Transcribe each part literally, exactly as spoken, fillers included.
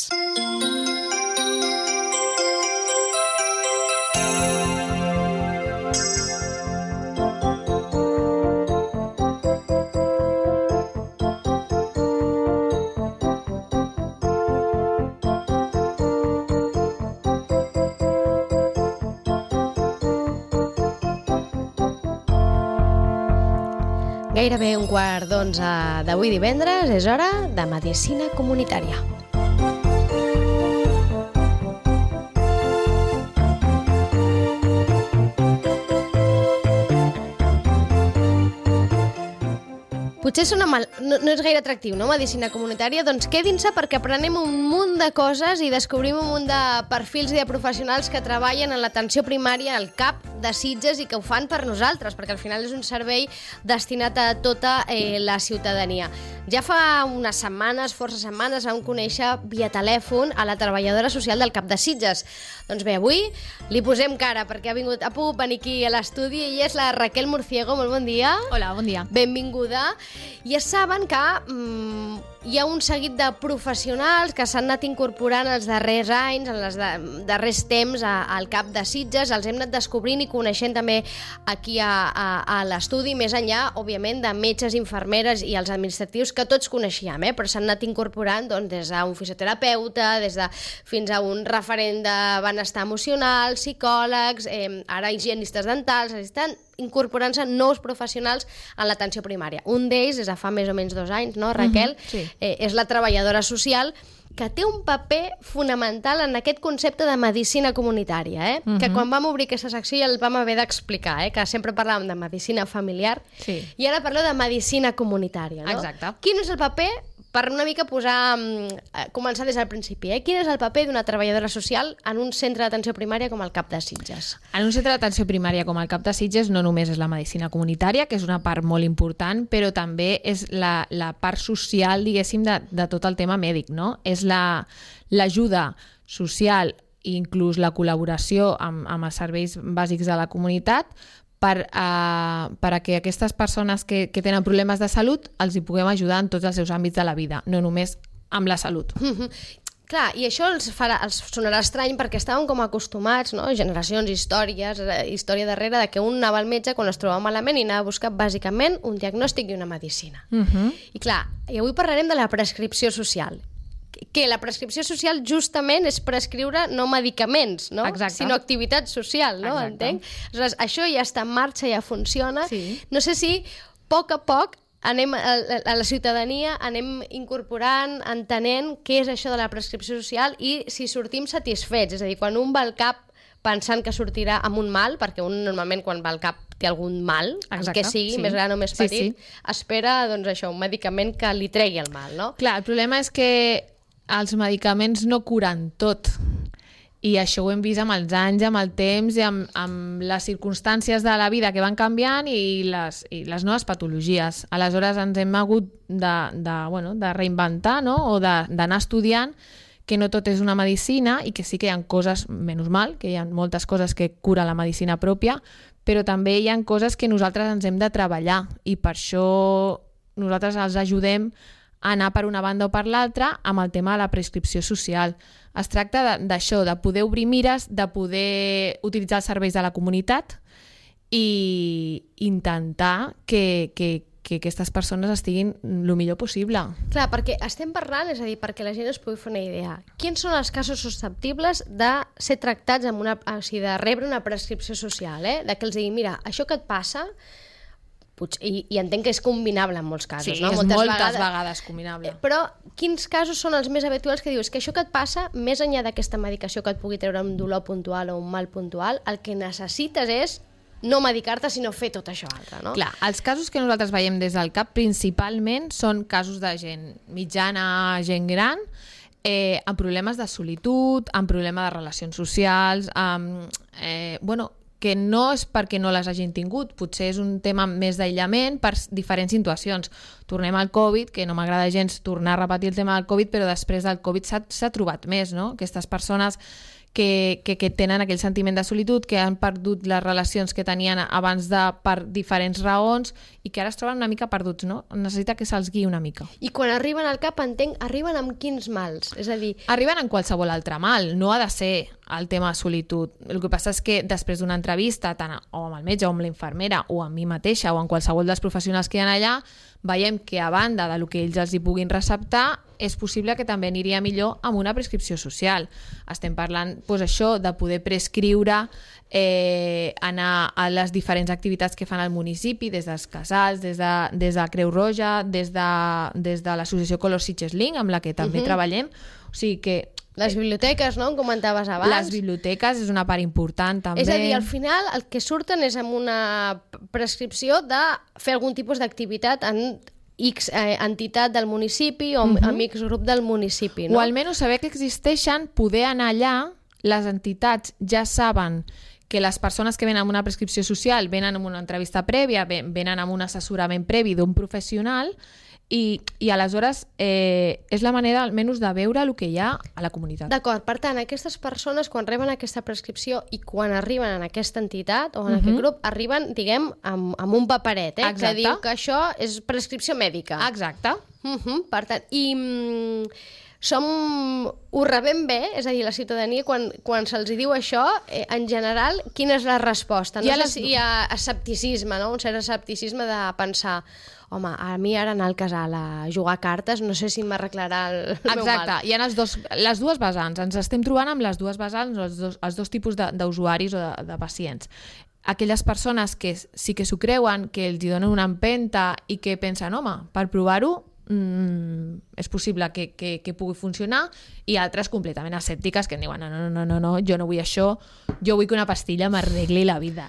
Gairebé un quart d'onze d'avui divendres és hora de Medicina Comunitària. Potser sona mal, no, no és gaire atractiu, no? Medicina comunitària, doncs quedin-se perquè aprenem un munt de coses i descobrim un munt de perfils i de professionals que treballen en l'atenció primària al C A P de Sitges i que ho fan per nosaltres, perquè al final és un servei destinat a tota eh, la ciutadania. Ja fa unes setmanes, força setmanes, vam conèixer via telèfon a la treballadora social del C A P de Sitges. Doncs bé, avui li posem cara perquè ha, vingut, ha pogut venir aquí a l'estudi i és la Raquel Murciego. Molt bon dia. Hola, bon dia. Benvinguda. Ja saben que mm, hi ha un seguit de professionals que s'han anat incorporant els darrers anys, en els de, darrers temps a, al C A P de Sitges, els hem anat descobrint i coneixent també aquí a, a, a l'estudi, més enllà, òbviament, de metges, infermeres i els administratius que tots coneixíem, eh? Però s'han anat incorporant doncs, des d'un fisioterapeuta, des de, fins a un referent de benestar emocional, psicòlegs, eh, ara higienistes dentals, estan incorporant-se nous professionals en l'atenció primària. Un d'ells, des de fa més o menys dos anys, no, Raquel? Uh-huh, sí. eh, és la treballadora social, que té un paper fonamental en aquest concepte de medicina comunitària, eh? Uh-huh. Que quan vam obrir aquesta secció ja el vam haver d'explicar, eh? Que sempre parlàvem de medicina familiar, sí. I ara parlo de medicina comunitària, no? Exacte. Quin és el paper, per una mica posar, començar des del principi, eh? Quin és el paper d'una treballadora social en un centre d'atenció primària com el C A P de Sitges? En un centre d'atenció primària com el C A P de Sitges no només és la medicina comunitària, que és una part molt important, però també és la, la part social, diguéssim, de, de tot el tema mèdic, no? És la, l'ajuda social i inclús la col·laboració amb, amb els serveis bàsics de la comunitat per, uh, per a que aquestes persones que, que tenen problemes de salut els hi puguem ajudar en tots els seus àmbits de la vida, no només amb la salut. Mm-hmm. Clar, i això els, farà, els sonarà estrany perquè estàvem com acostumats, no? Generacions, històries, història darrere de que un anava al metge quan es trobava malament i anava a buscar bàsicament un diagnòstic i una medicina. Mm-hmm. I clar, i avui parlarem de la prescripció social, que la prescripció social justament és prescriure no medicaments, no? Exacte. Sinó activitat social, no? Exacte. Entenc? Aleshores, això ja està en marxa, ja funciona. Sí. No sé si a poc a poc anem a, a la ciutadania anem incorporant, entenent què és això de la prescripció social i si sortim satisfets. És a dir, quan un va al C A P pensant que sortirà amb un mal, perquè un normalment quan va al C A P té algun mal, exacte, que sigui, sí. més gran o més petit, sí, sí. espera doncs, això, un medicament que li tregui el mal, no? Clar, el problema és que els medicaments no curen tot i això ho hem vist amb els anys, amb el temps i amb, amb les circumstàncies de la vida que van canviant i les, i les noves patologies. Aleshores ens hem hagut de, de, bueno, de reinventar, no? O d'anar estudiant que no tot és una medicina i que sí que hi ha coses, menys mal, que hi ha moltes coses que cura la medicina pròpia, però també hi ha coses que nosaltres ens hem de treballar i per això nosaltres els ajudem a anar per una banda o per l'altra amb el tema de la prescripció social. Es tracta d'això, de, de poder obrir mires, de poder utilitzar els serveis de la comunitat i intentar que, que, que aquestes persones estiguin el millor possible. Clar, perquè estem parlant, és a dir, perquè la gent es pugui fer una idea. Quins són els casos susceptibles de ser tractats amb una, o sigui, de rebre una prescripció social, eh? De que els digui, mira, això que et passa... I, i entenc que és combinable en molts casos, sí, no? és moltes, moltes vegades, vegades combinable. Però quins casos són els més habituals que dius que això que et passa, més enllà d'aquesta medicació que et pugui treure un dolor puntual o un mal puntual, el que necessites és no medicar-te, sinó fer tot això altre, no? Clar, els casos que nosaltres veiem des del C A P principalment són casos de gent mitjana, gent gran, eh, amb problemes de solitud, amb problemes de relacions socials, amb... Eh, bueno, que no és perquè no les hagin tingut, potser és un tema més d'aïllament per diferents situacions. Tornem al Covid, que no m'agrada gens tornar a repetir el tema del Covid, però després del Covid s'ha trobat més, no? Aquestes persones que, que, que tenen aquell sentiment de solitud, que han perdut les relacions que tenien abans de, per diferents raons i que ara es troben una mica perduts, no? Necessita que se'ls guiï una mica. I quan arriben al cap, entenc, arriben amb quins mals? És a dir... Arriben en qualsevol altre mal, no ha de ser el tema de solitud. El que passa és que després d'una entrevista, tant o amb el metge o amb la infermera o amb mi mateixa o amb qualsevol dels professionals que hi ha allà, veiem que a banda del que ells els hi puguin receptar, és possible que també aniria millor amb una prescripció social. Estem parlant, doncs això, de poder prescriure, eh, anar a les diferents activitats que fan al municipi, des dels casals, des de, des de Creu Roja, des de, des de l'associació Color Sitges Link, amb la que també uh-huh. treballem. O sigui que... Les biblioteques, no?, em comentaves abans. Les biblioteques és una part important, també. És a dir, al final el que surten és amb una prescripció de fer algun tipus d'activitat en X eh, entitat del municipi o uh-huh. amb X grup del municipi, no? O almenys saber que existeixen, poder anar allà, les entitats ja saben que les persones que venen amb una prescripció social venen amb una entrevista prèvia, venen amb un assessorament previ d'un professional i, i aleshores eh, és la manera almenys de veure el que hi ha a la comunitat. D'acord, per tant, aquestes persones quan reben aquesta prescripció i quan arriben en aquesta entitat o en uh-huh. aquest grup, arriben, diguem, amb, amb un paperet, eh, que diu que això és prescripció mèdica. Exacte. Uh-huh, per tant, i... Mm, som, ho rebem bé? És a dir, la ciutadania, quan, quan se'ls diu això, eh, en general, quina és la resposta? No sé les... si hi ha escepticisme, no? Un cert escepticisme de pensar, home, a mi ara anar al casal a jugar a cartes, no sé si m'arreglarà el, el meu mal. Exacte, hi ha els dos, les dues vessants. Ens estem trobant amb les dues vessants, els dos, els dos tipus d'usuaris o de, de pacients. Aquelles persones que sí que s'ho creuen, que els donen una empenta i que pensen, home, per provar-ho, Mm, és possible que, que, que pugui funcionar, i altres completament escèptiques que diuen no, no, no, no, no, jo no vull això, jo vull que una pastilla m'arregli la vida.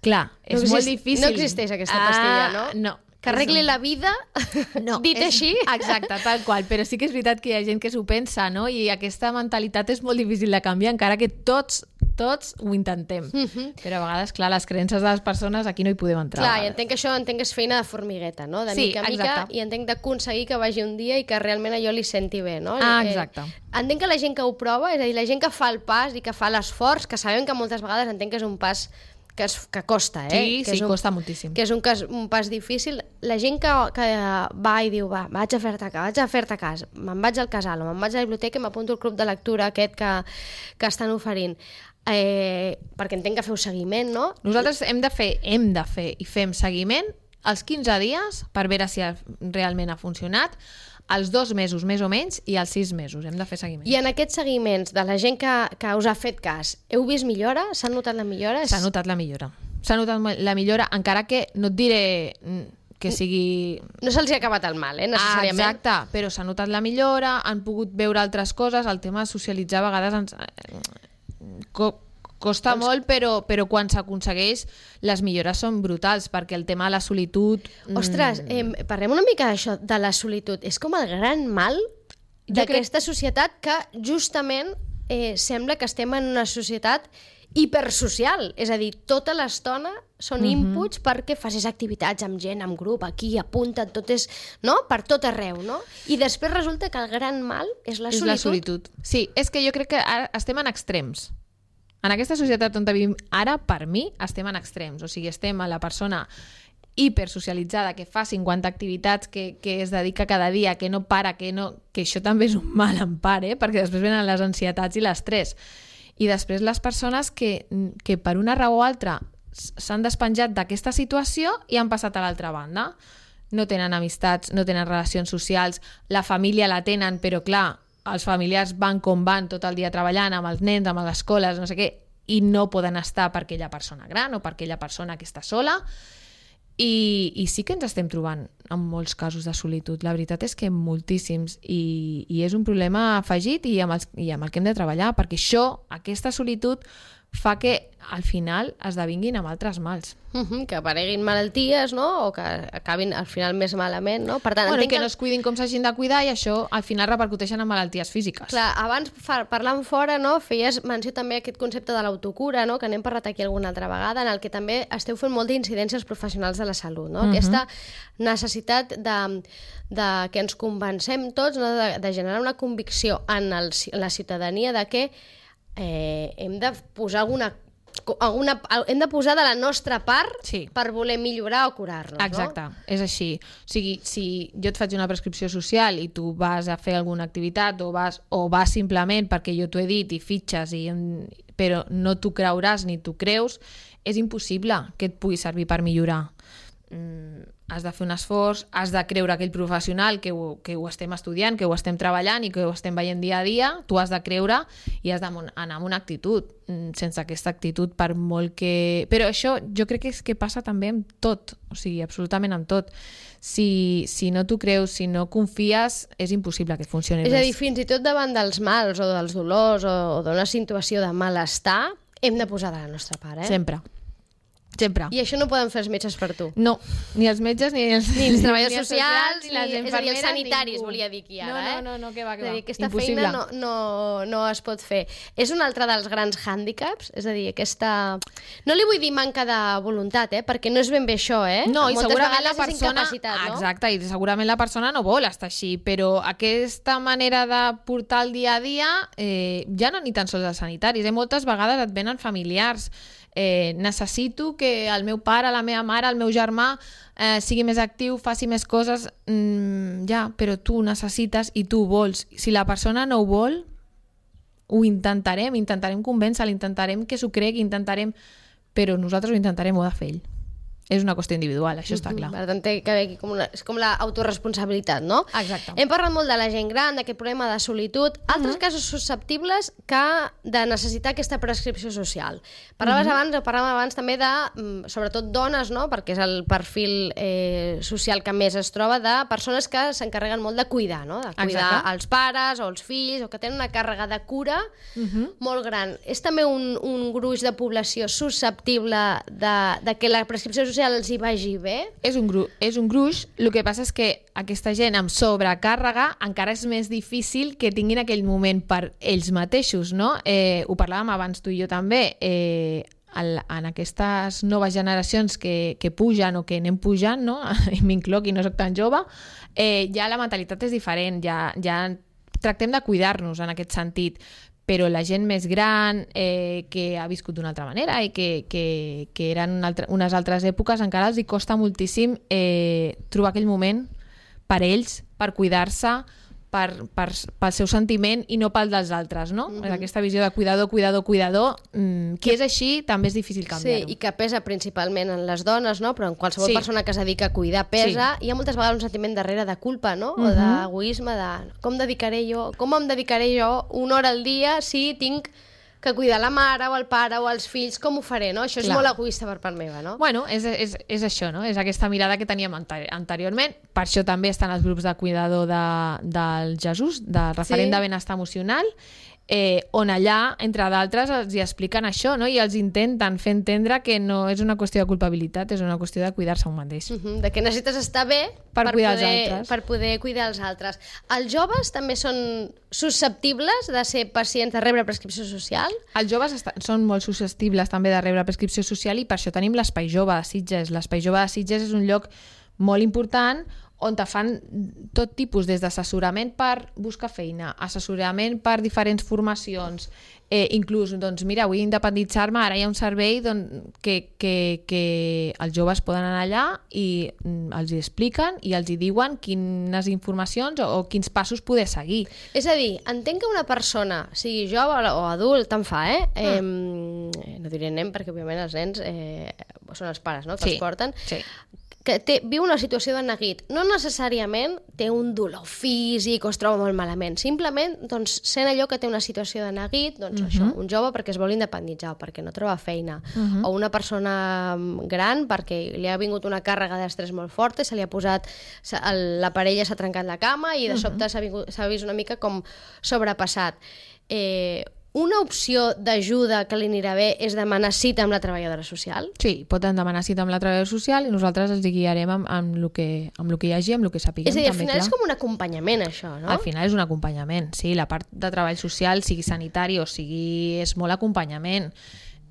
Clar, és no molt difícil. No existeix aquesta pastilla, no? Uh, no. Que arregli la vida, no, dit és, així. Exacte, tal qual, però sí que és veritat que hi ha gent que s'ho pensa, no? I aquesta mentalitat és molt difícil de canviar, encara que tots tots ho intentem. Uh-huh. Però a vegades, clar, les creences de les persones aquí no hi podem entrar. Clar, i entenc que això entenc que és feina de formigueta, no? De sí, mica a mica, exacte. I entenc d'aconseguir que vagi un dia i que realment allò li senti bé, no? Ah, exacte. Eh, entenc que la gent que ho prova, és a dir, la gent que fa el pas i que fa l'esforç, que sabem que moltes vegades entenc que és un pas que, es, que costa, eh? Sí, que sí, un, costa moltíssim. Que és un, cas, un pas difícil. La gent que, que va i diu, va, vaig a fer-te vaig a fer-te cas, me'n vaig al casal o me'n vaig a la biblioteca i m'apunto al club de lectura aquest que, que estan oferint. Eh, perquè entenc que feu seguiment, no? Nosaltres hem de fer, hem de fer i fem seguiment als quinze dies per veure si realment ha funcionat, als dos mesos més o menys i als sis mesos hem de fer seguiment. I en aquests seguiments de la gent que, que us ha fet cas, heu vist millora? S'ha notat la millora? S'ha notat la millora. S'ha notat la millora, encara que no et diré que sigui... No se'ls ha acabat el mal, eh, necessàriament. Ah, exacte, però s'ha notat la millora, han pogut veure altres coses, el tema de socialitzar a vegades ens... costa doncs... molt, però, però quan s'aconsegueix les millores són brutals, perquè el tema de la solitud... Ostres, eh, parlem una mica d'això, de la solitud. És com el gran mal d'aquesta crec... societat que justament eh, sembla que estem en una societat hipersocial, és a dir, tota l'estona són uh-huh. inputs perquè facis activitats amb gent, amb grup, aquí, apunta't, tot és, no? Per tot arreu, no? I després resulta que el gran mal és la és solitud. La solitud. Sí, és que jo crec que ara estem en extrems. En aquesta societat on vivim ara, per mi, estem en extrems. O sigui, estem a la persona hipersocialitzada que fa cinquanta activitats, que, que es dedica cada dia, que no para, que, no, que això també és un mal en part, eh? Perquè després venen les ansietats i l'estrès. I després les persones que, que per una raó o altra s'han despenjat d'aquesta situació i han passat a l'altra banda. No tenen amistats, no tenen relacions socials, la família la tenen, però clar, els familiars van com van tot el dia treballant amb els nens, amb les escoles, no sé què, i no poden estar per aquella persona gran o per aquella persona que està sola. I, i sí que ens estem trobant en molts casos de solitud. La veritat és que moltíssims, i, i és un problema afegit i amb, els, i amb el que hem de treballar, perquè això, aquesta solitud, fa que al final esdevinguin amb altres mals. Uh-huh, que apareguin malalties, no? O que acabin al final més malament, no? Per tant, bueno, entenc que no es cuidin com s'hagin de cuidar i això al final repercuteixen en malalties físiques. Clar, abans parlant fora, no, feies menció també aquest concepte de l'autocura, no? Que n'hem parlat aquí alguna altra vegada, en el que també esteu fent molt d'incidències professionals de la salut, no? Uh-huh. Aquesta necessitat de, de que ens convencem tots, no? de, de generar una convicció en, el, en la ciutadania de que eh, hem de posar alguna Alguna, hem de posar de la nostra part sí. per voler millorar o curar-nos, Exacte, no? és així. O sigui, si jo et faig una prescripció social i tu vas a fer alguna activitat o vas, o vas simplement perquè jo t'ho he dit i fitxes, i, però no t'ho creuràs ni t'ho creus, és impossible que et pugui servir per millorar. Mm, has de fer un esforç, has de creure aquell professional que ho, que ho estem estudiant, que ho estem treballant i que ho estem veient dia a dia, tu has de creure i has d'anar amb una actitud. Sense aquesta actitud, per molt que... Però això jo crec que és que passa també amb tot, o sigui, absolutament amb tot. Si, si no t'ho creus, si no confies, és impossible que funcioni res. És a dir, res. fins i tot davant dels mals o dels dolors o, o d'una situació de malestar, hem de posar de la nostra part, eh? Sempre. Sempre. I això no poden fer els metges per tu. No, ni els metges, ni els, ni els treballadors ni els socials, ni les ni, és a dir, els sanitaris, ningú. volia dir aquí ara. No, no, eh? no, no, que va, que va. Dir, aquesta Impossible. feina no, no, no es pot fer. És un altre dels grans hàndicaps, és a dir, aquesta... No li vull dir manca de voluntat, eh? Perquè no és ben bé això, eh? No, i moltes segurament la vegades és persona... incapacitat, no? Exacte, i segurament la persona no vol estar així, però aquesta manera de portar el dia a dia eh, ja no ni tan sols els sanitaris, eh? Moltes vegades et venen familiars. Eh, necessito que el meu pare, la meva mare, el meu germà eh, sigui més actiu, faci més coses, mm, ja, però tu necessites i tu vols. Si la persona no ho vol, ho intentarem, intentarem convèncer-la, intentarem que s'ho cregui, intentarem... però nosaltres ho intentarem, ho ha de fer ell. És una qüestió individual, això està clar. Per tant, té que haver aquí com una, és com l'autoresponsabilitat, no? Exacte. Hem parlat molt de la gent gran, d'aquest problema de solitud, altres uh-huh. casos susceptibles que de necessitar aquesta prescripció social. Parlaves uh-huh. abans, o parlàvem abans també de, sobretot dones, no? Perquè és el perfil eh, social que més es troba, de persones que s'encarreguen molt de cuidar, no? De cuidar Exacte. els pares o els fills, o que tenen una càrrega de cura uh-huh. molt gran. És també un, un gruix de població susceptible de, de que la prescripció social els hi vagi bé? És un, gru és un gruix, el que passa és que aquesta gent amb sobrecàrrega encara és més difícil que tinguin aquell moment per ells mateixos, no? Eh, ho parlàvem abans tu i jo també, eh, el, en aquestes noves generacions que, que pugen o que anem pujant, no? I m'incloc i no soc tan jove, eh, ja la mentalitat és diferent, ja, ja tractem de cuidar-nos en aquest sentit, però la gent més gran, eh, que ha viscut d'una altra manera i que, que, que eren una altra, unes altres èpoques, encara els hi costa moltíssim eh, trobar aquell moment per ells, per cuidar-se, per, per, pel seu sentiment i no pel dels altres, no? Mm-hmm. Aquesta visió de cuidador, cuidador, cuidador, mmm, que és així, també és difícil canviar-ho. Sí, i que pesa principalment en les dones, no? Però en qualsevol sí. persona que es dedica a cuidar pesa. Sí. Hi ha moltes vegades un sentiment darrere de culpa, no? Mm-hmm. O d'egoisme, de com dedicaré jo, com em dedicaré jo una hora al dia si tinc que cuidar la mare o el pare o els fills, com ho faré, no? Això és Clar. molt egoista per part meva, no? Bueno, és, és, és això, no? És aquesta mirada que teníem anteriorment. Per això també estan els grups de cuidador de, del Jesús, del referent sí. de benestar emocional, eh, on allà, entre d'altres, els hi expliquen això, no? I els intenten fer entendre que no és una qüestió de culpabilitat, és una qüestió de cuidar-se un mateix. Uh-huh. De que necessites estar bé per, per, cuidar poder, els altres. per poder cuidar els altres. Els joves també són susceptibles de ser pacients de rebre prescripció social? Els joves són molt susceptibles també de rebre prescripció social i per això tenim l'Espai Jove de Sitges. L'Espai Jove de Sitges és un lloc molt important on te fan tot tipus, des d'assessorament per buscar feina, assessorament per diferents formacions, eh, inclús, doncs mira, vull independitzar-me, ara hi ha un servei doncs, que, que, que els joves poden anar allà i mm, els hi expliquen i els hi diuen quines informacions o, o quins passos poder seguir. És a dir, entenc que una persona, sigui jove o adult, tant fa, eh? Ah. eh no diré nen, perquè òbviament els nens eh, són els pares, no?, que sí. els porten. Sí. Que té, viu una situació de neguit, no necessàriament té un dolor físic o es troba molt malament, simplement doncs, sent allò que té una situació de neguit, doncs uh-huh. això, un jove perquè es vol independitzar o perquè no troba feina, uh-huh. o una persona gran perquè li ha vingut una càrrega d'estrès molt forta, se li ha posat, la parella s'ha trencat la cama i de sobte uh-huh. s'ha, vingut, s'ha vist una mica com sobrepassat. Eh, Una opció d'ajuda que li anirà bé és demanar cita amb la treballadora social? Sí, poden demanar cita amb la treballadora social i nosaltres els guiarem amb, amb, el que, amb el que hi hagi, amb el que sapiguem. És a dir, al també, final clar. És com un acompanyament, això, no? Al final és un acompanyament, sí. La part de treball social, sigui sanitari o sigui... és molt acompanyament.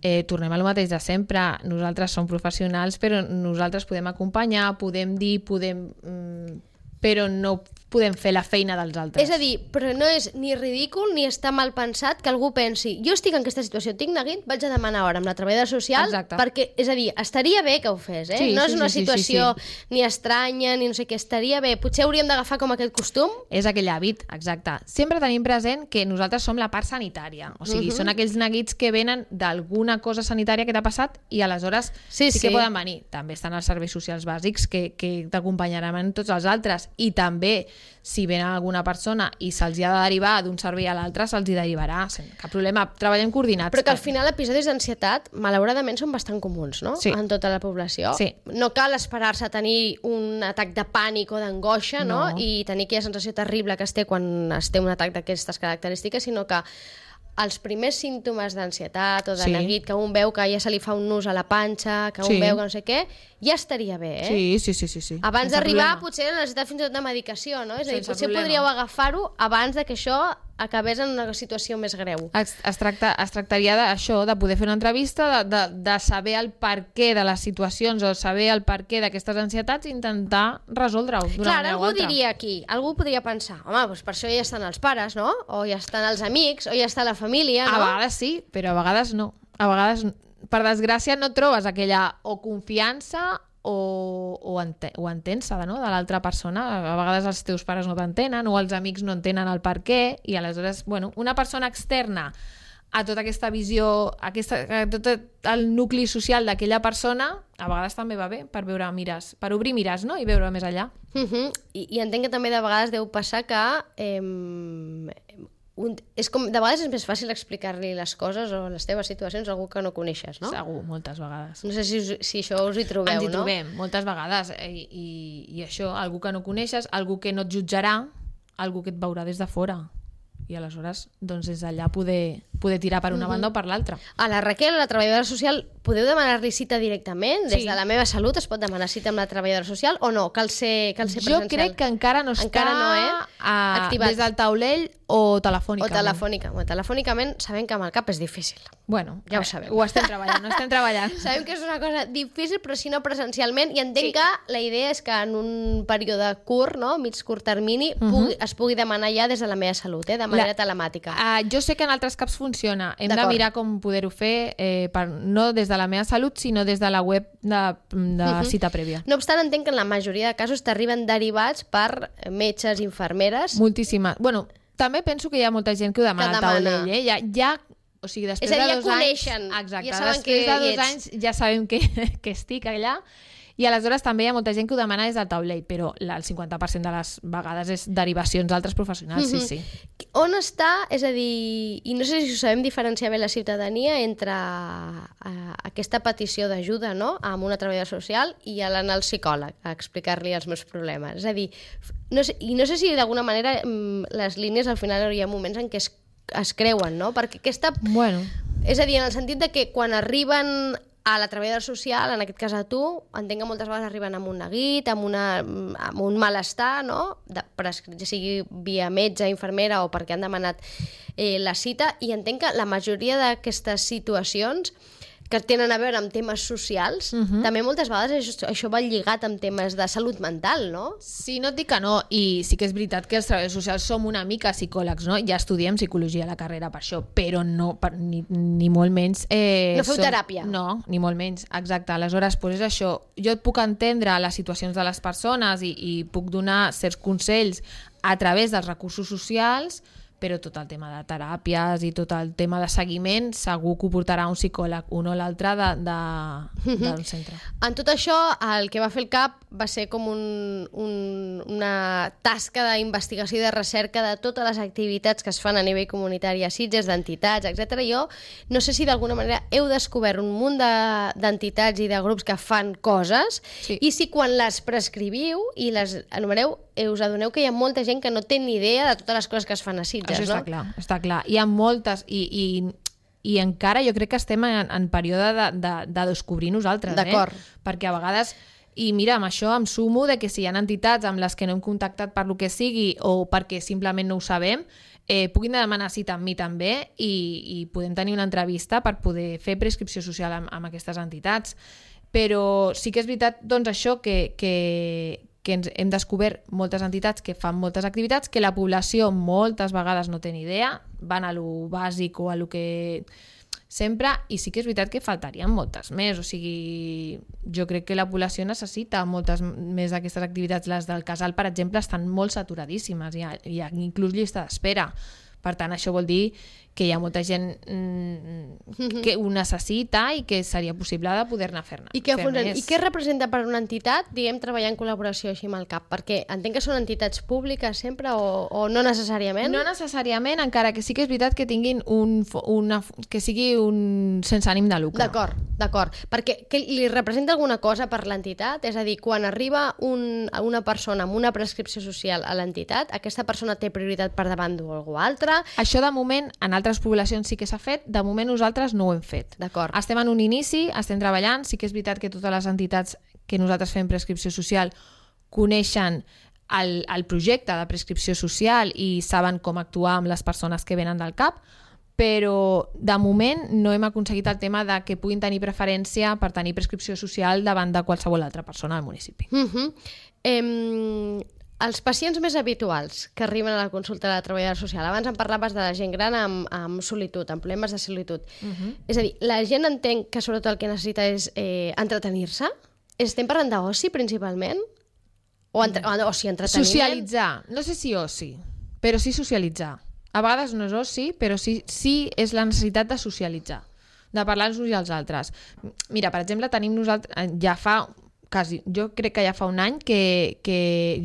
Eh, tornem al mateix de sempre. Nosaltres som professionals, però nosaltres podem acompanyar, podem dir, podem... Mm, però no podem fer la feina dels altres. És a dir, però no és ni ridícul ni està mal pensat que algú pensi jo estic en aquesta situació, tinc neguit, vaig a demanar hora amb la treballadora social. Exacte. Perquè, és a dir, estaria bé que ho fes, eh? Sí, no sí, és una sí, situació sí, sí. ni estranya ni no sé què, estaria bé. Potser hauríem d'agafar com aquest costum. És aquell hàbit, exacte. Sempre tenim present que nosaltres som la part sanitària, o sigui, uh-huh. són aquells neguits que venen d'alguna cosa sanitària que t'ha passat i aleshores sí, sí que sí. poden venir. També estan els serveis socials bàsics que, que t'acompanyaran en tots els altres, i també si ven alguna persona i se'ls ha de derivar d'un servei a l'altre, se'ls hi derivarà, cap problema, treballem coordinats. Però que al final episodis d'ansietat, malauradament, són bastant comuns, no? Sí. En tota la població. Sí. No cal esperar-se a tenir un atac de pànic o d'angoixa, no? no? I tenir aquella sensació terrible que es té quan es té un atac d'aquestes característiques, sinó que els primers símptomes d'ansietat o de sí. neguit, que un veu que ja se li fa un nus a la panxa, que un sí. veu que no sé què, ja estaria bé, eh? Sí, sí, sí. sí, sí. Abans d'arribar, potser necessitat fins i tot de medicació, no? És a dir, potser problema. podríeu agafar-ho abans de que això acabés en una situació més greu. Es, es, tracta, es tractaria d'això, de poder fer una entrevista, de, de, de saber el perquè de les situacions o saber el perquè d'aquestes ansietats i intentar resoldre-ho d'una Clar, manera o algú altra. diria aquí, algú podria pensar, home, doncs per això ja estan els pares, no? O ja estan els amics, o ja està la família, no? A vegades sí, però a vegades no. A vegades, per desgràcia, no trobes aquella o confiança o, o, ente, o entens-se no? de l'altra persona. A vegades els teus pares no t'entenen o els amics no entenen el per què, i aleshores, bueno, una persona externa a tota aquesta visió, a, aquesta, a tot el nucli social d'aquella persona, a vegades també va bé per veure mires, per obrir mires, no? I veure més allà. Uh-huh. I, I entenc que també de vegades deu passar que eh, un, és com, de vegades és més fàcil explicar-li les coses o les teves situacions a algú que no coneixes, no? Segur, moltes vegades. No sé si, si això us hi trobeu, no? Ens hi trobem, no? moltes vegades. I, i, I això, algú que no coneixes, algú que no et jutjarà, algú que et veurà des de fora. I aleshores, doncs, des d'allà poder, poder tirar per una uh-huh. banda o per l'altra. A la Raquel, a la treballadora social, podeu demanar-li cita directament? Des sí. de la meva salut es pot demanar cita amb la treballadora social o no? Cal ser, cal ser presencial? Jo crec que encara no està encara no, eh? a, activat. Des del taulell o telefònicament. O telefònica. Bueno, telefònicament sabem que amb el cap és difícil. Bueno, ja ho sabem. Ho estem treballant, ho estem treballant. Sabem que és una cosa difícil, però si no presencialment, i entenc sí. que la idea és que en un període curt, no? mig curt termini, uh-huh. pugui, es pugui demanar ja des de la meva salut, eh? de manera la... telemàtica. Uh, jo sé que en altres caps funciona. Hem de mirar com poder-ho fer, eh, per, no des de la meva salut, sinó des de la web de, de uh-huh. cita prèvia. No obstant, entenc que en la majoria de casos t'arriben derivats per metges, infermeres... Moltíssima. Bueno, també penso que hi ha molta gent que ho demana al taulell. Eh? Ja, ja, o sigui, després és a dir, de dos ja coneixen, anys... Exacte, ja saben després que de dos anys ja sabem que, que estic allà. I aleshores també hi ha molta gent que ho demana des del taulell, però el cinquanta per cent de les vegades és derivacions d'altres professionals, mm-hmm. sí, sí. On està, és a dir, i no sé si ho sabem diferenciar bé la ciutadania entre uh, aquesta petició d'ajuda, no?, amb una treballadora social i l'anar al psicòleg a explicar-li els meus problemes. És a dir, no sé, i no sé si d'alguna manera les línies al final hi ha moments en què es, es creuen, no?, perquè aquesta... Bueno. És a dir, en el sentit de que quan arriben a la treballadora social, en aquest cas a tu, entenc que moltes vegades arriben amb un neguit, amb, una, amb un malestar, no? De, prescrit, sigui via metge, infermera o perquè han demanat eh, la cita, i entenc que la majoria d'aquestes situacions que tenen a veure amb temes socials, uh-huh. també moltes vegades això, això va lligat amb temes de salut mental, no? Sí, no et dic que no, i sí que és veritat que els treballadors socials som una mica psicòlegs, no? Ja estudiem psicologia a la carrera per això, però no, per, ni, ni molt menys... Eh, no feu som... teràpia? No, ni molt menys, exacte. Aleshores, pues és això, jo et puc entendre les situacions de les persones i, i puc donar certs consells a través dels recursos socials, però tot el tema de teràpies i tot el tema de seguiment segur que ho portarà un psicòleg, un o l'altre de, de, d'un centre. En tot això, el que va fer el C A P va ser com un, un, una tasca d'investigació i de recerca de totes les activitats que es fan a nivell comunitari a Sitges, d'entitats, etcètera. Jo no sé si d'alguna manera heu descobert un munt d'entitats i de grups que fan coses, sí. i si quan les prescriviu i les enumereu, us adoneu que hi ha molta gent que no té ni idea de totes les coses que es fan a Sitges. Això està no? clar, està clar. Hi ha moltes i, i, i encara jo crec que estem en, en període de, de, de descobrir nosaltres. D'acord. Eh? Perquè a vegades, i mira, amb això em sumo de que si hi ha entitats amb les que no hem contactat per lo que sigui o perquè simplement no ho sabem, eh, puguin demanar cita amb mi també i, i podem tenir una entrevista per poder fer prescripció social amb, amb aquestes entitats. Però sí que és veritat doncs, això que... que que ens hem descobert moltes entitats que fan moltes activitats que la població moltes vegades no té ni idea, van a lo bàsic o a lo que sempre, i sí que és veritat que faltarien moltes més, o sigui, jo crec que la població necessita moltes més d'aquestes activitats. Les del casal, per exemple, estan molt saturadíssimes, hi ha, hi ha inclús llista d'espera. Per tant, això vol dir que hi ha molta gent mm, que ho necessita i que seria possible de poder-ne fer-ne. I, què fer I què representa per una entitat, diguem, treballar en col·laboració així amb el C A P? Perquè entenc que són entitats públiques sempre o, o no necessàriament? No necessàriament, encara que sí que és veritat que tinguin un, una, que sigui un sense ànim de lucre. D'acord, d'acord. Perquè que li representa alguna cosa per l'entitat? És a dir, quan arriba un, una persona amb una prescripció social a l'entitat, aquesta persona té prioritat per davant d'algú altre? Això de moment, en altres poblacions sí que s'ha fet, de moment nosaltres no ho hem fet. D'acord. Estem en un inici, estem treballant, sí que és veritat que totes les entitats que nosaltres fem prescripció social coneixen el, el projecte de prescripció social i saben com actuar amb les persones que venen del C A P, però de moment no hem aconseguit el tema de que puguin tenir preferència per tenir prescripció social davant de qualsevol altra persona del municipi. Uh-huh. Em... Els pacients més habituals que arriben a la consulta de la treballadora social, abans em parlaves de la gent gran amb, amb solitud, amb problemes de solitud. Uh-huh. És a dir, la gent entén que sobretot el que necessita és eh, entretenir-se? Estem parlant d'oci principalment? O, entre... uh-huh. o sigui, entreteniment? Socialitzar. No sé si oci, però sí socialitzar. A vegades no és oci, però sí, sí és la necessitat de socialitzar, de parlar els uns i els altres. Mira, per exemple, tenim nosaltres, ja fa... Quasi, jo crec que ja fa un any que, que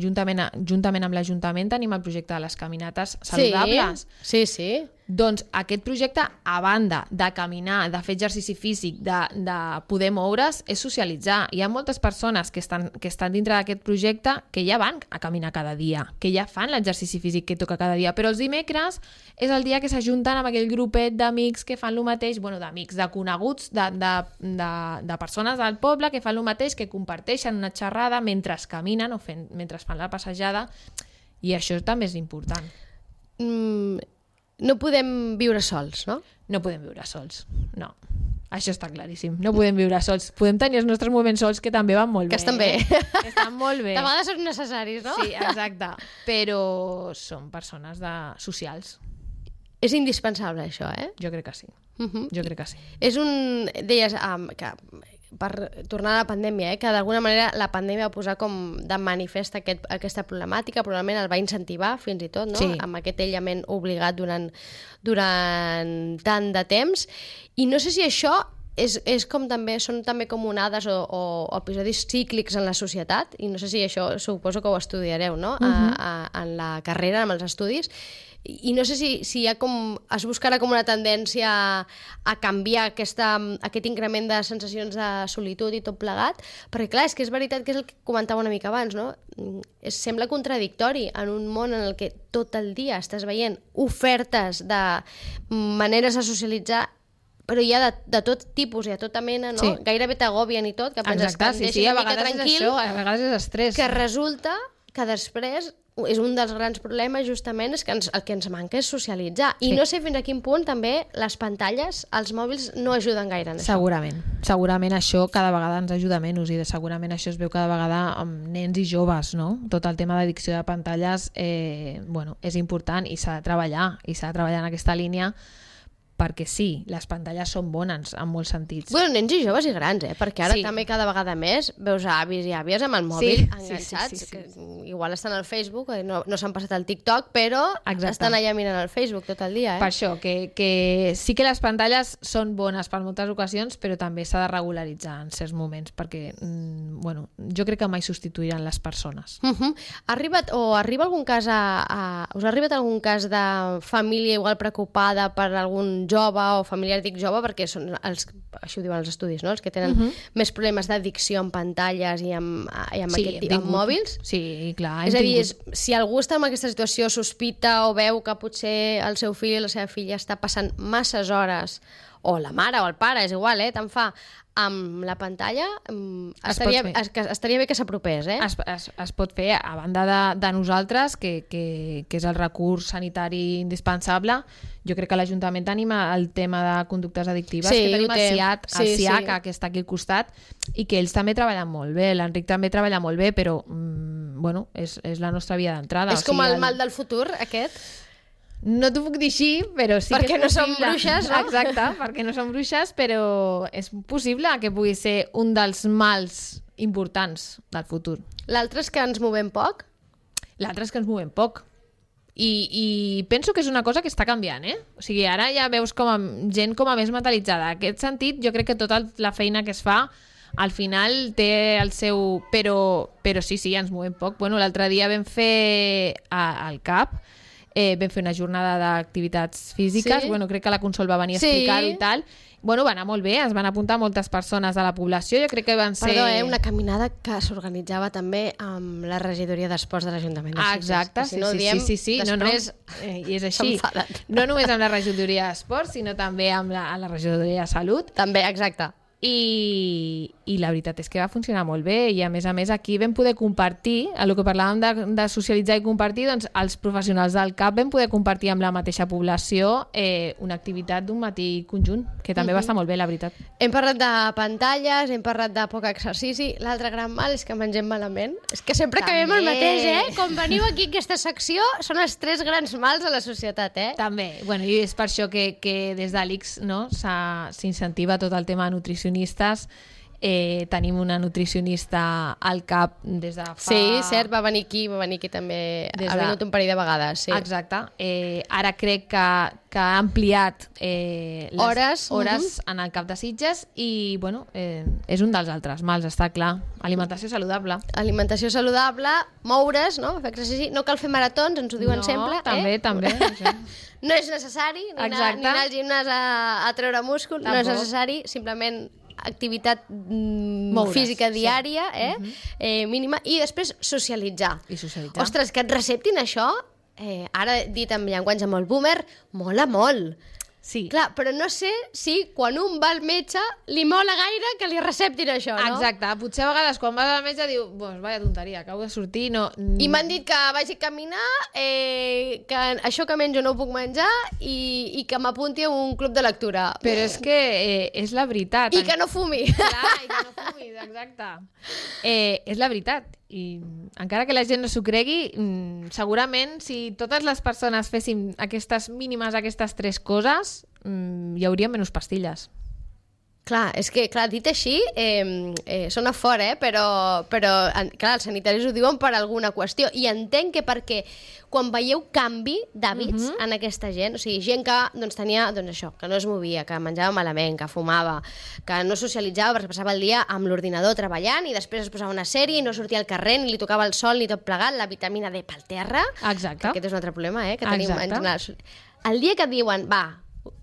juntament, juntament amb l'Ajuntament tenim el projecte de les caminates saludables. Sí, sí, sí. Doncs aquest projecte, a banda de caminar, de fer exercici físic, de, de poder moure's, és socialitzar. Hi ha moltes persones que estan, que estan dintre d'aquest projecte que ja van a caminar cada dia, que ja fan l'exercici físic que toca cada dia, però els dimecres és el dia que s'ajunten amb aquell grupet d'amics que fan el mateix, bueno, d'amics, de coneguts, de, de, de, de persones del poble que fan el mateix, que comparteixen una xerrada mentre caminen o fent, mentre fan la passejada, i això també és important. Mm... No podem viure sols, no? No podem viure sols, no. Això està claríssim. No podem viure sols. Podem tenir els nostres moments sols, que també van molt bé. Que estan bé. Eh? Que estan molt bé. De vegades són necessaris, no? Sí, exacte. Però són persones de... socials. És indispensable, això, eh? Jo crec que sí. Uh-huh. Jo crec que sí. És un... Deies um, que per tornar a la pandèmia, eh, que d'alguna manera la pandèmia va posar com de manifest aquest, aquesta problemàtica, probablement el va incentivar fins i tot, no? Sí. Amb aquest aïllament obligat durant, durant tant de temps. I no sé si això és, és com també, són també com onades o, o, o episodis cíclics en la societat, i no sé si això suposo que ho estudiareu, no? Uh-huh. a, a, en la carrera, amb els estudis, i no sé si, si hi ha com, es buscarà com una tendència a, a canviar aquesta, aquest increment de sensacions de solitud i tot plegat, perquè clar, és que és veritat que és el que comentava una mica abans, no? Es sembla contradictori en un món en el que tot el dia estàs veient ofertes de maneres de socialitzar, però hi ha de, de tot tipus i de tota mena, no? Sí. Gairebé t'agobien i tot, que penses exacte, que sí, sí, a vegades és això, a vegades és estrès. Que resulta que després és un dels grans problemes, justament, és que ens, el que ens manca és socialitzar. I sí. No sé fins a quin punt també les pantalles, els mòbils, no ajuden gaire en això. Segurament. Segurament això cada vegada ens ajuda menys, i de segurament això es veu cada vegada amb nens i joves, no? Tot el tema d'addicció de pantalles eh, bueno, és important i s'ha de treballar, i s'ha de treballar en aquesta línia, perquè sí, les pantalles són bones en molts sentits. Bueno, nens i joves i grans, eh? Perquè ara sí. també cada vegada més veus avis i àvies amb el mòbil sí, enganxats, sí, sí, sí, sí. que igual estan al Facebook, no, no s'han passat al TikTok, però exacte. Estan allà mirant el Facebook tot el dia. Eh? Per això, que, que sí que les pantalles són bones per moltes ocasions, però també s'ha de regularitzar en certs moments, perquè mm, bueno, jo crec que mai substituiran les persones. Uh-huh. Ha arribat, o arriba algun cas a, a, us ha arribat algun cas de família igual preocupada per algun jove o familiar, dic jove perquè són els, això ho diuen els estudis, no? Els que tenen uh-huh. més problemes d'addicció amb pantalles i amb, i amb, sí, aquest, amb mòbils. Sí, clar. És a dir, és, si algú està en aquesta situació, sospita o veu que potser el seu fill o la seva filla està passant masses hores o la mare o el pare, és igual, eh? Tant fa, amb la pantalla Es estaria, pot fer. es, que estaria bé que s'apropés, eh? Es, es, es pot fer, a banda de, de nosaltres, que, que, que és el recurs sanitari indispensable. Jo crec que l'Ajuntament tenim el tema de conductes addictives, Sí, que tenim ho el té. CIAT, el Sí, sí. CIACA, que està aquí al costat, i que ells també treballen molt bé, l'Enric també treballa molt bé, però mm, bueno, és, és la nostra via d'entrada. És com el mal del futur, aquest? No t'ho puc dir així, però sí Perquè que és no som possible. bruixes, no? Exacte, perquè no som bruixes, però és possible que pugui ser un dels mals importants del futur. L'altre és que ens movem poc? L'altre és que ens movem poc. I, I penso que és una cosa que està canviant, eh? O sigui, ara ja veus com a, gent com a més mentalitzada. En aquest sentit, jo crec que tota la feina que es fa al final té el seu... Però, però sí, sí, ens movem poc. Bueno, l'altre dia vam fer a, al C A P, eh, vam fer una jornada d'activitats físiques. Sí? Bueno, crec que la Consol va venir a Sí. explicar-ho i tal. Bueno, va anar molt bé, es van apuntar moltes persones de la població. Jo crec que van ser... Perdó, eh? Una caminada que s'organitzava també amb la regidoria d'esports de l'Ajuntament de Ah, Sitges. exacte, Que sí, si no ho sí, diem, sí, sí, sí. després no, no. Eh, i és així. s'enfaden. No només amb la regidoria d'esports, sinó també amb la, amb la regidoria de salut. També, exacte. I, i la veritat és que va funcionar molt bé i a més a més aquí vam poder compartir, el que parlàvem de, de socialitzar i compartir, doncs els professionals del C A P vam poder compartir amb la mateixa població eh, una activitat d'un matí conjunt, que també uh -huh. va estar molt bé, la veritat. Hem parlat de pantalles, hem parlat de poc exercici. L'altre gran mal és que mengem malament. És que sempre També. acabem el mateix, eh? Quan veniu aquí a aquesta secció, són els tres grans mals de la societat, eh? També, bueno, i és per això que, que des de l'I C S no, s'incentiva tot el tema de nutricionistes. Eh, tenim una nutricionista al C A P des de fa... Sí, cert, va venir aquí, va venir aquí també, Des ha de- vingut un parell de vegades, sí. Exacte. Eh, ara crec que, que ha ampliat eh, les Hores, hores en el cap de Sitges i bueno, eh, és un dels altres mals, està clar. Alimentació saludable. Alimentació saludable, moure's, no? Fer exercici. No cal fer maratons, ens ho diuen no, sempre. també, eh? també. Això. No és necessari ni anar, Exacte. ni anar al gimnàs a, a treure múscul, no és Tampoc. necessari, simplement activitat mm, Moure's, física sí. diària, eh? eh, mínima, i després socialitzar. I socialitzar. Ostres, que et receptin això, eh, ara dit amb llenguatge molt boomer, mola molt. Sí. Clar, però no sé si quan un va al metge li mola gaire que li receptin això, no? Exacte. Potser a vegades quan vas al metge diu pues vaya tonteria, acabo de sortir, no... I m'han dit que vagi a caminar, eh, que això que menjo no ho puc menjar i, i que m'apunti a un club de lectura. Però és que eh, és la veritat. I que no fumi. Clar, i que no fumis, exacte. Eh, és la veritat. I encara que la gent no s'ho cregui, mm, segurament si totes les persones féssim aquestes mínimes, aquestes tres coses, mm, hi hauria menys pastilles. Clar, és que, clar, dit així, eh, eh, sona fort, eh? Però, però en, clar, els sanitaris ho diuen per alguna qüestió. I entenc que perquè quan veieu canvi d'hàbits uh -huh. en aquesta gent, o sigui, gent que doncs, tenia doncs, això, que no es movia, que menjava malament, que fumava, que no socialitzava perquè passava el dia amb l'ordinador treballant i després es posava una sèrie i no sortia al carrer ni li tocava el sol ni tot plegat, la vitamina D pel terra. Exacte. Que aquest és un altre problema, eh? Que tenim en Exacte. general. El dia que et diuen, va,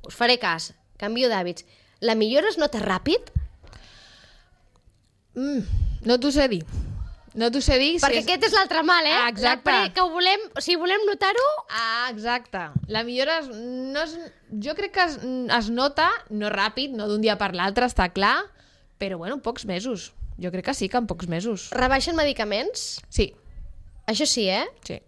us faré cas, canvio d'hàbits, la millora es nota ràpid? Mm, no t'ho sé dir. No t'ho sé dir. Perquè si és... aquest és l'altre mal, eh? Ah, exacte. La pre- que ho volem, o sigui, volem notar-ho. Ah, exacte. La millora es, no es, jo crec que es, es nota, no ràpid, no d'un dia per l'altre, està clar, però bueno, en pocs mesos. Jo crec que sí, que en pocs mesos. Rebaixen medicaments? Sí, Això sí, eh? sí.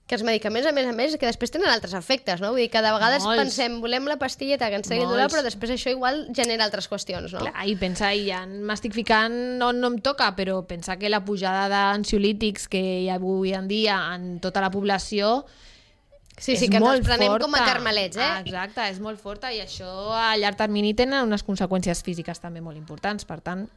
Que els medicaments, a més a més, que després tenen altres efectes, no? Vull dir que de vegades Molts. pensem, volem la pastilleta que ens tregui Molts. dolor, però després això igual genera altres qüestions, no? Clar, i pensa, i ja m'estic ficant on no em toca, però pensa que la pujada d'ansiolítics que hi ha avui en dia en tota la població Sí, sí, és que ens molt els prenem forta. com a carmelets, eh? Ah, exacte, és molt forta i això a llarg termini tenen unes conseqüències físiques també molt importants, per tant,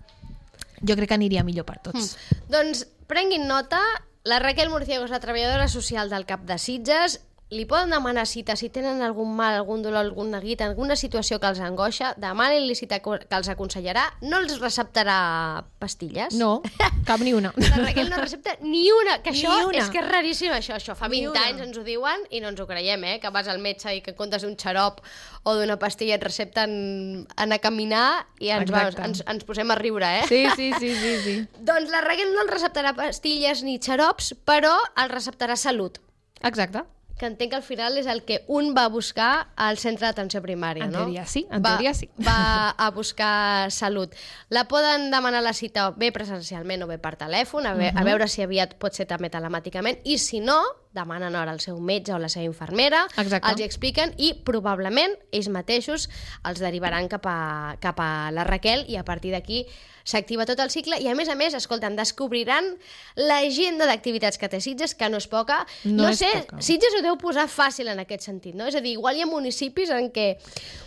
jo crec que aniria millor per tots. Mm. Doncs prenguin nota, la Raquel Murciego és la treballadora social del C A P de Sitges, li poden demanar cita si tenen algun mal, algun dolor, algun neguit, alguna situació que els angoixa, demanin-li cita que els aconsellarà, no els receptarà pastilles. No, cap ni una. La Raquel no recepta ni una, que Ni això una. és que és raríssim, això, això fa Ni vint una. anys ens ho diuen i no ens ho creiem, eh? Que vas al metge i que en comptes d'un xarop o d'una pastilla et recepten anar a caminar i ens, vamos, Exacte. ens, ens posem a riure, eh? Sí, sí, sí, sí, sí. Doncs la Raquel no els receptarà pastilles ni xarops, però els receptarà salut. Exacte. que entenc que al final és el que un va a buscar al centre d'atenció primària, en no? Teoria sí, en va, teoria sí. Va a buscar salut. La poden demanar la cita bé presencialment o bé per telèfon, a, ve, uh -huh. a veure si aviat pot ser també telemàticament, i si no, demanen hora al seu metge o la seva infermera, Exacte. els hi expliquen i probablement ells mateixos els derivaran cap a, cap a la Raquel i a partir d'aquí s'activa tot el cicle i a més a més, escolta'm, descobriran l'agenda d'activitats que té Sitges, que no és poca. No, no és sé, poca. Sitges ho deu posar fàcil en aquest sentit, no? És a dir, igual hi ha municipis en què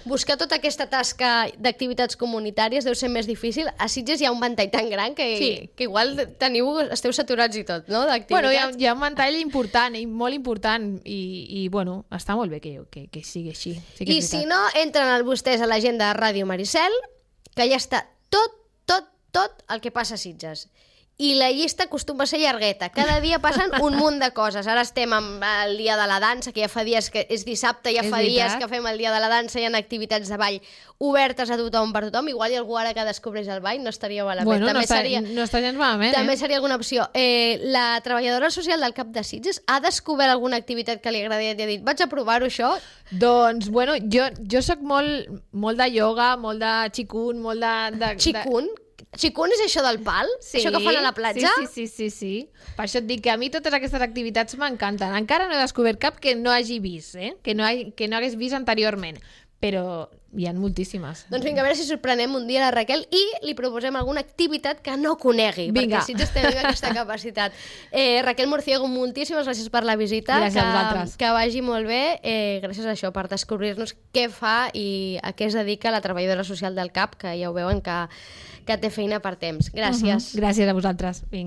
buscar tota aquesta tasca d'activitats comunitàries deu ser més difícil. A Sitges hi ha un ventall tan gran que, Sí. que igual teniu, esteu saturats i tot, no? D'activitats. Bueno, hi ha, hi ha un ventall important, i molt important, i, i bueno, està molt bé que, que, que sigui així. Sí que I és si veritat. no, entren vostès a l'agenda de Ràdio Maricel, que ja està tot, tot, tot el que passa a Sitges. I la llista acostuma a ser llargueta. Cada dia passen un munt de coses. Ara estem amb el dia de la dansa, que ja fa dies que és dissabte, ja És fa veritat. dies que fem el dia de la dansa, hi ha activitats de ball obertes a tothom per tothom. Igual hi ha algú ara que descobreix el ball, no estaria malament. Bueno, també no, està, seria, no està gens malament, també eh? seria alguna opció. Eh, la treballadora social del CAP de Sitges ha descobert alguna activitat que li agradaria i ha dit, vaig a provar-ho això. Doncs, bueno, jo, jo sóc molt, molt de ioga, molt de xicun, molt de... de Xicun? Xicun és això del pal? Sí, Això que fan a la platja? Sí, sí, sí, sí, sí. Per això et dic que a mi totes aquestes activitats m'encanten. Encara no he descobert cap que no hagi vist, eh? que, no ha, que no hagués vist anteriorment, però hi ha moltíssimes. Doncs vinga, a veure si sorprenem un dia la Raquel i li proposem alguna activitat que no conegui, Vinga. perquè Sitges té aquesta capacitat. Eh, Raquel Murciego, moltíssimes gràcies per la visita. Gràcies que, a vosaltres. Que vagi molt bé. Eh, gràcies a això, per descobrir-nos què fa i a què es dedica la treballadora social del CAP, que ja ho veuen que, que té feina per temps. Gràcies. Uh -huh. Gràcies a vosaltres. Vinga.